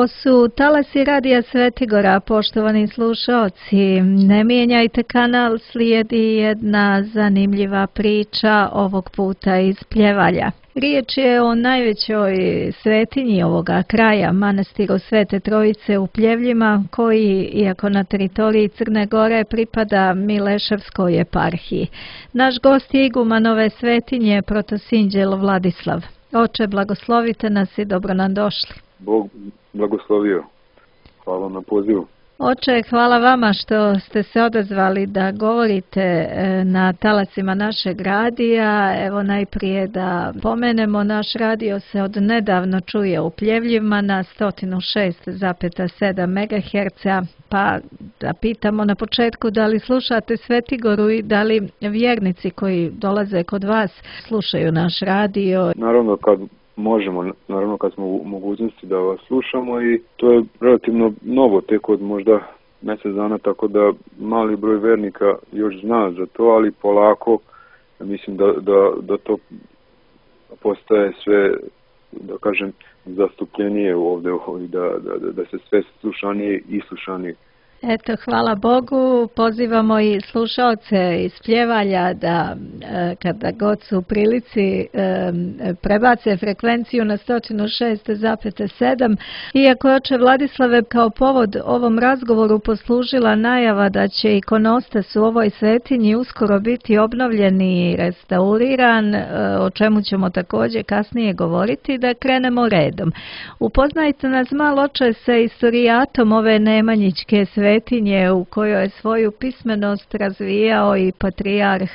Ovo su talasi Radija Svetigora, poštovani slušaoci. Ne mijenjajte kanal, slijedi jedna zanimljiva priča, ovog puta iz Pljevalja. Riječ je o najvećoj svetinji ovoga kraja, manastiru Svete Trojice u Pljevljima, koji, iako na teritoriji Crne Gore, pripada Mileševskoj eparhiji. Naš gost je iguman ove svetinje, protosinđel Vladislav. Oče, blagoslovite nas i dobro nam došli. Bog blagoslovio. Hvala na pozivu. Oče, hvala vama što ste se odazvali da govorite na talasima našeg radija. Evo najprije da pomenemo, naš radio se od nedavno čuje u Pljevljima na 106,7 MHz, pa da pitamo na početku da li slušate Svetigoru i da li vjernici koji dolaze kod vas slušaju naš radio. Naravno kad možemo, naravno kad smo u mogućnosti da vas slušamo, i to je relativno novo, tek od možda mjesec dana, tako da mali broj vernika još zna za to, ali polako mislim da to postaje sve, da kažem, zastupljenije ovdje, da se sve slušanije i slušanije. Eto, hvala Bogu, pozivamo i slušaoce iz Pljevalja da kada god su u prilici prebace frekvenciju na 106,7. Iako je oče Vladislave kao povod ovom razgovoru poslužila najava da će ikonostas u ovoj svetinji uskoro biti obnovljen i restauriran, o čemu ćemo također kasnije govoriti, da krenemo redom. Upoznajte nas malo, oče, sa istorijatom ove Nemanjićke svetinje u kojoj je svoju pismenost razvijao i patrijarh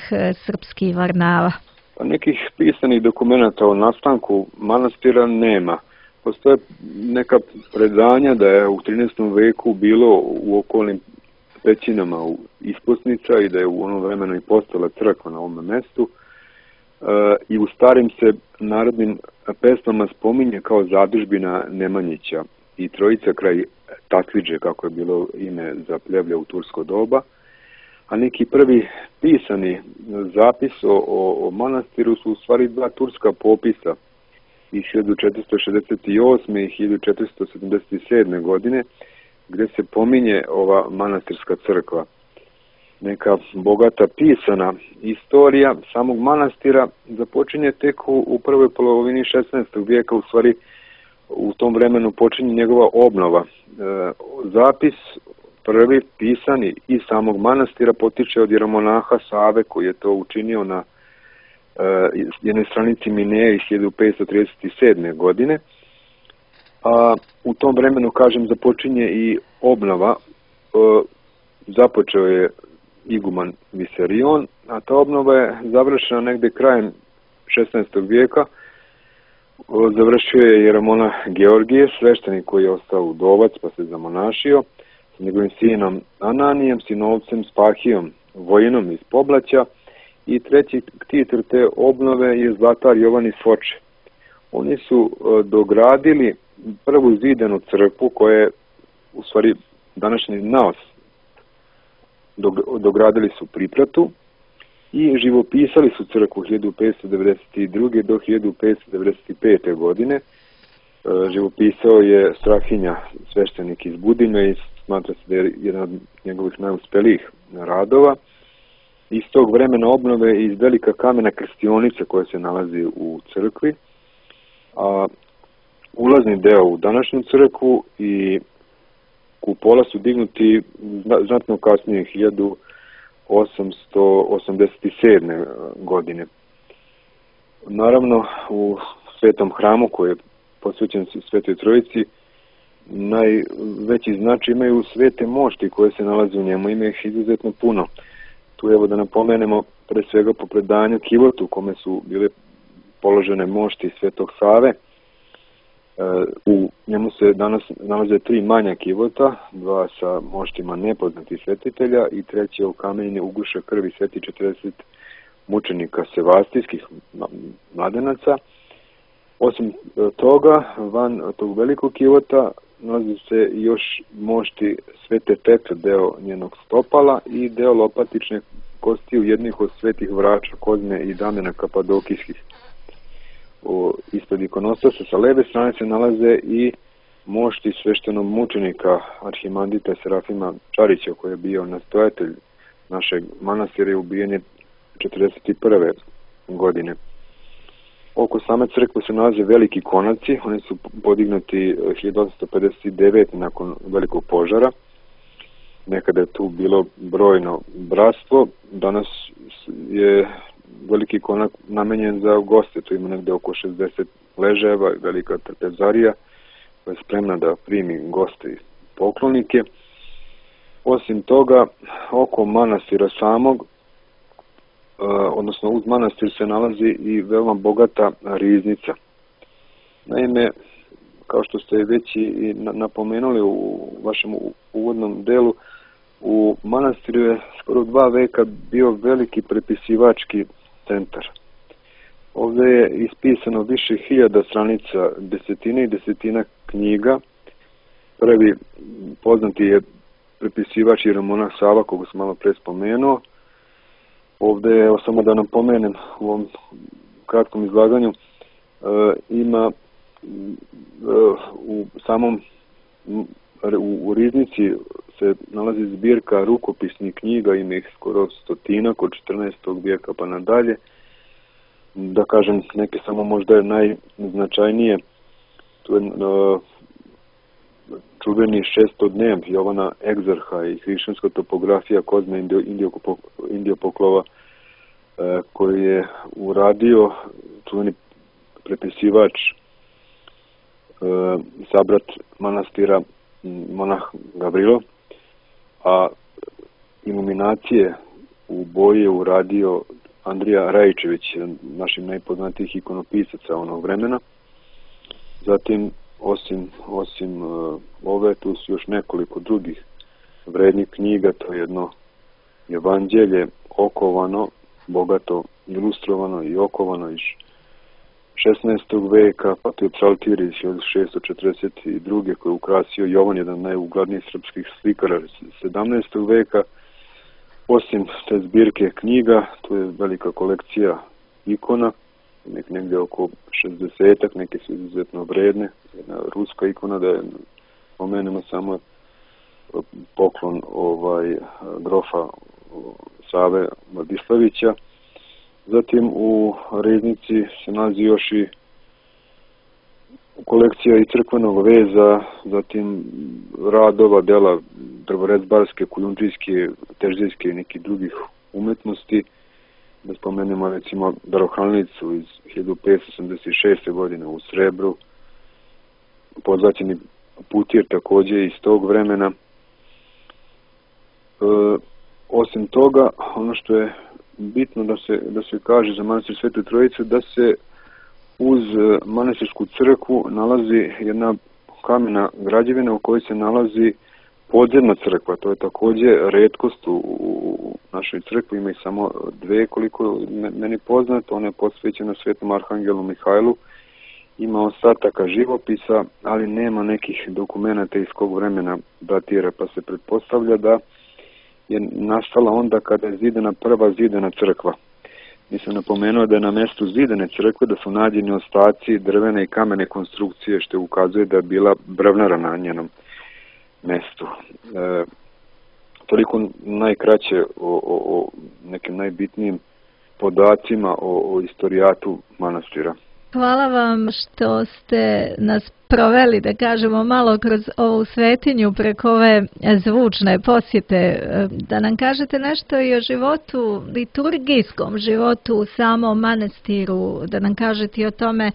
srpski Varnava. Nekih pisanih dokumenata o nastanku manastira nema. Postoje neka predanja da je u 13. veku bilo u okolnim pećinama ispusnica i da je u onom vremenu i postala crkva na ovom mjestu. I u starim se narodnim pesmama spominje kao zadužbina Nemanjića i Trojica kraj Takvidže, kako je bilo ime za Pljevlje u tursko doba. A neki prvi pisani zapis o manastiru su u stvari dva turska popisa iz 1468. i 1477. godine, gdje se pominje ova manastirska crkva. Neka bogata pisana istorija samog manastira započinje tek u prvoj polovini 16. vijeka, u stvari u tom vremenu počinje njegova obnova. Zapis prvi pisani iz samog manastira potiče od jeromonaha Save, koji je to učinio na jednoj stranici Mineje iz 1537. godine. A u tom vremenu, kažem, započinje i obnova. Započeo je iguman Visarion, a ta obnova je završena negdje krajem 16. vijeka. Završio je jeromonah Georgije, sveštenik koji je ostao udovac pa se zamonašio, s njegovim sinom Ananijem, sinovcem Spahijom, vojinom iz Poblaća, i treći ktitor te obnove je zlatar Jovan iz Foče. Oni su dogradili prvu zidanu crkvu, koja je u stvari današnji naos. Dogradili su pripratu i živopisali su crkvu 1592. do 1595. godine. Živopisao je Strahinja, sveštenik iz Budime, i smatra se da je jedan od njegovih najuspelijih radova. Iz tog vremena obnove iz velika kamena krstionice koja se nalazi u crkvi, a ulazni deo u današnju crkvu i kupola su dignuti znatno kasnije, 1887. godine. Naravno, u svetom hramu koji je posvećen Svetoj Trojici, najveći značaj imaju svete mošti koje se nalaze u njemu, ima ih izuzetno puno. Tu evo da napomenemo pre svega po predanju kivotu u kome su bile položene mošti Svetog Save. U njemu se danas nalaze 3 manja kivota, 2 sa moštima nepoznatih svetitelja i treći je u kamenje uguša krvi sveti 40 mučenika sevastijskih mladenaca. Osim toga, van tog velikog kivota nalazi se još mošti Svete Petre, deo njenog stopala, i deo lopatične kosti u jednih od svetih vrača Kozme i Damjana Kapadokijskih. Ispred ikonostasa sa leve strane se nalaze i mošti sveštenog mučenika Arhimandrita Serafima Čarića, koji je bio nastojatelj našeg manastira i ubijen je 1941. godine. Oko same crkve se nalaze veliki konaci, oni su podignuti 1859. nakon velikog požara. Nekada je tu bilo brojno bratstvo, danas je veliki konak namenjen za goste, tu ima negde oko 60 ležajeva, velika trpezarija koja je spremna da primi goste i poklonike. Osim toga, oko manastira samog, odnosno uz manastir se nalazi i veoma bogata riznica. Naime, kao što ste već i napomenuli u vašem uvodnom delu, u manastiru je skoro 2 veka bio veliki prepisivački centar. Ovdje je ispisano više hiljada stranica, desetine i desetina knjiga. Prvi poznati je prepisivač jeromonah Sava, koga sam malo pre spomenuo. Ovdje je, samo da napomenem u ovom kratkom izlaganju, ima u samom u riznici se nalazi zbirka rukopisnih knjiga, ima ih skoro 100 od 14. vijeka pa nadalje. Da kažem, neke samo možda je najznačajnije, to je čuveni šestodnev Jovana Egzarha i hrišćanska topografija Kozme Indiopoklova, koji je uradio čuveni prepisivač, sabrat manastira monah Gavrilo, a iluminacije u boji je uradio Andrija Rajičević, našim najpoznatijih ikonopisaca onog vremena. Zatim, osim ove, tu su još nekoliko drugih vrednih knjiga, to je jedno evanđelje okovano, bogato ilustrovano i okovano iz 16. veka, pa to je psaltir iz 1642. koji je ukrasio Jovan, jedan najuglednijih srpskih slikara 17. veka. Osim te zbirke knjiga, tu je velika kolekcija ikona, negdje oko 60-ak, neke su izuzetno vredne. Jedna ruska ikona, da je pomenemo samo poklon grofa Save Vladislavića. Zatim u riznici se nalazi još i kolekcija i crkvenog veza, zatim radova, dela drvorezbarske, kujundžijske, teždijske i nekih drugih umetnosti. Da spomenemo recimo darohranilicu iz 1586. godine u srebru, pozvaćeni putir također iz tog vremena. Osim toga, ono što je bitno da se kaže za manastir Svete Trojice, da se uz manastirsku crkvu nalazi jedna kamena građevina u kojoj se nalazi podzemna crkva. To je također retkost u našoj crkvi, ima ih samo 2 koliko meni poznato. Ona je posvećena Svetom Arhangelu Mihajlu, ima ostataka živopisa, ali nema nekih dokumenata iz kog vremena datira, pa se pretpostavlja da je nastala onda kada je zidana prva zidana crkva. Nisam napomenuo da je na mjestu zidane crkve da su nađeni ostaci drvene i kamene konstrukcije, što ukazuje da je bila brvnara na njenom mjestu. Toliko najkraće o nekim najbitnijim podacima o istorijatu manastira. Hvala vam što ste nas proveli, da kažemo, malo kroz ovu svetinju preko ove zvučne posjete. Da nam kažete nešto i o životu, liturgijskom životu u samom manastiru, da nam kažete i o tome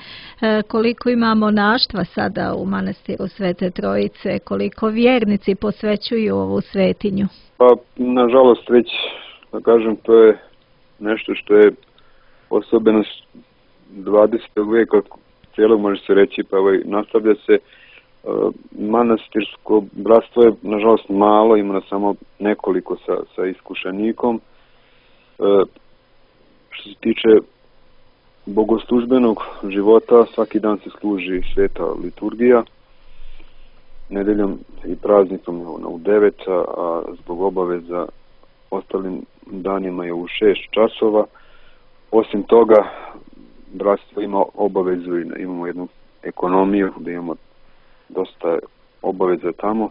koliko ima monaštva sada u manastiru Svete Trojice, koliko vjernici posvećuju ovu svetinju. Pa, nažalost, već, da kažem, to je nešto što je osobenost 20. veka cijelog, može se reći, pa nastavlja se. Manastirsko bratstvo je nažalost malo, ima samo nekoliko sa iskušenikom. Što se tiče bogoslužbenog života, svaki dan se služi sveta liturgija, nedeljom i praznikom u 9, a zbog obaveza ostalim danima je u 6 časova. Osim toga, bratstvo ima obavezu i imamo jednu ekonomiju, da imamo dosta obaveza tamo,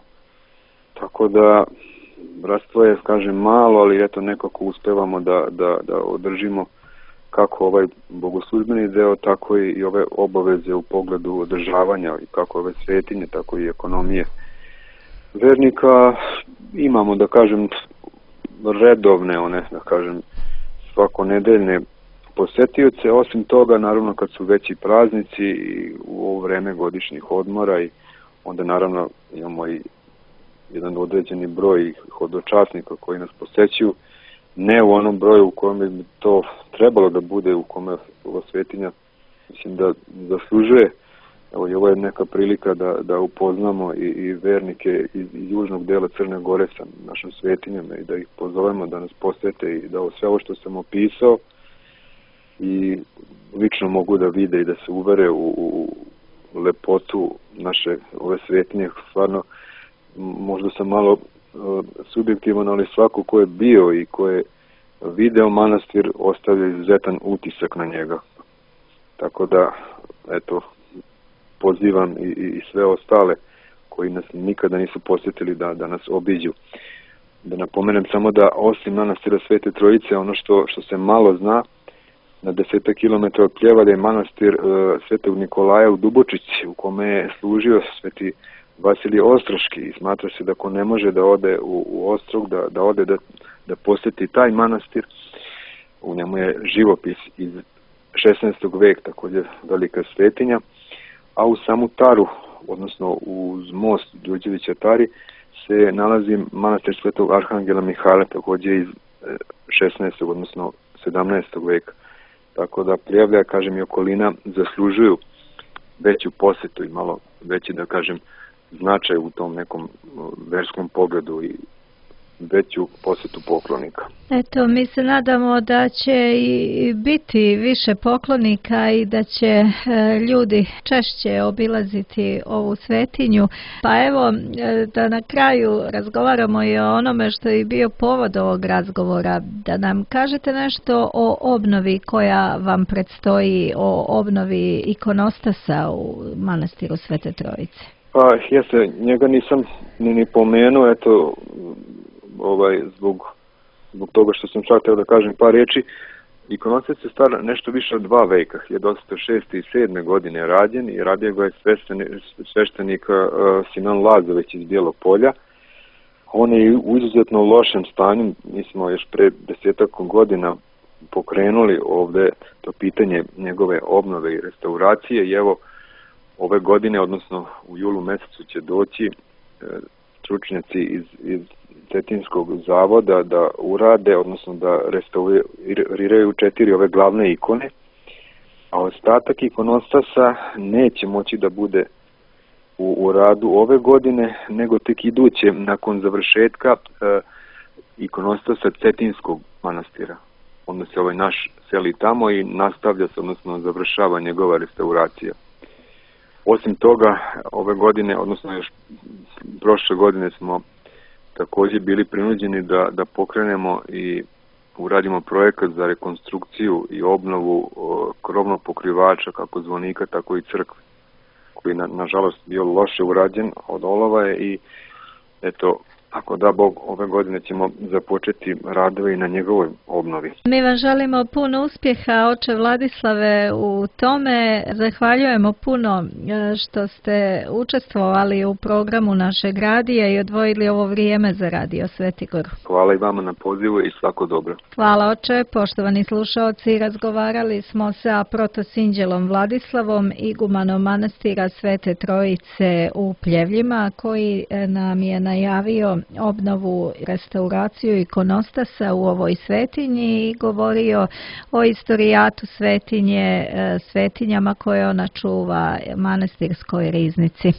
tako da bratstvo je, kažem, malo, ali eto nekako uspevamo da održimo kako ovaj bogoslužbeni deo, tako i ove obaveze u pogledu održavanja i kako ove svetinje, tako i ekonomije vernika. Imamo, da kažem, redovne, one, da kažem, svakonedeljne posetioce. Osim toga, naravno, kad su veći praznici i u ovo vreme godišnjih odmora, i onda naravno imamo i jedan određeni broj hodočasnika koji nas posećuju, ne u onom broju u kojem bi to trebalo da bude, u kome ova svetinja, mislim, da zaslužuje. Evo, i ovo je neka prilika da upoznamo i vernike iz južnog dela Crne Gore sa našom svetinjom i da ih pozovemo da nas posete i da sve ovo što sam opisao i lično mogu da vide i da se uvere u lepotu naše ove svetinje. Stvarno, možda sam malo subjektivan, ali svako ko je bio i ko je video manastir ostavlja izuzetan utisak na njega. Tako da, eto, pozivam i sve ostale koji nas nikada nisu posjetili da nas obiđu. Da napomenem samo da osim manastira Svete Trojice, ono što se malo zna, na 10 km od Pljevlja je manastir Svetog Nikolaja u Dubočici, u kome je služio Sveti Vasilije Ostroški, i smatra se da ko ne može da ode u Ostrog, da ode da posjeti taj manastir. U njemu je živopis iz 16. veka, također velika svetinja, a u samu Taru, odnosno uz most Đurđevića Tari, se nalazi manastir Svetog Arhangela Mihajla, također iz 16. odnosno 17. veka. Tako da Pljevlja, kažem, i okolina zaslužuju veću posjetu i malo veći, da kažem, značaj u tom nekom verskom pogledu i veću posjetu poklonika. Eto, mi se nadamo da će i biti više poklonika i da će ljudi češće obilaziti ovu svetinju. Pa evo, da na kraju razgovaramo i o onome što je bio povod ovog razgovora, da nam kažete nešto o obnovi koja vam predstoji, o obnovi ikonostasa u manastiru Svete Trojice. Pa, jeste, njega nisam ni pomenuo, eto, zbog toga što sam čak teo da kažem par riječi. Ikonostas je star nešto više od 2 veka, 1806. i 7. godine rađen, i radio ga je sveštenik Simeon Lazović iz Bijelog Polja. On je u izuzetno lošem stanju. Mi smo još pre 10 godina pokrenuli ovde to pitanje njegove obnove i restauracije, i evo ove godine, odnosno u julu mesecu, će doći stručnjaci iz Cetinskog zavoda da urade, odnosno da restauriraju 4 ove glavne ikone, a ostatak ikonostasa neće moći da bude u radu ove godine, nego tek iduće nakon završetka ikonostasa Cetinskog manastira. Onda se ovaj naš seli tamo i nastavlja se, odnosno završava njegova restauracija. Osim toga, ove godine, odnosno još prošle godine, smo također bili prinuđeni da pokrenemo i uradimo projekat za rekonstrukciju i obnovu krovnog pokrivača, kako zvonika, tako i crkve, koji nažalost bio loše urađen od olova, i eto, ako da Bog, ove godine ćemo započeti radove i na njegovoj obnovi. Mi vam želimo puno uspjeha, oče Vladislave, u tome. Zahvaljujemo puno što ste učestvovali u programu našeg radija i odvojili ovo vrijeme za Radio Svetigor. Hvala i vama na pozivu i svako dobro. Hvala, oče. Poštovani slušaoci, razgovarali smo sa protosinđelom Vladislavom, igumanom manastira Svete Trojice u Pljevljima, koji nam je najavio obnovu, restauraciju ikonostasa u ovoj svetinji i govorio o istorijatu svetinje, svetinjama koje ona čuva, manastirskoj riznici.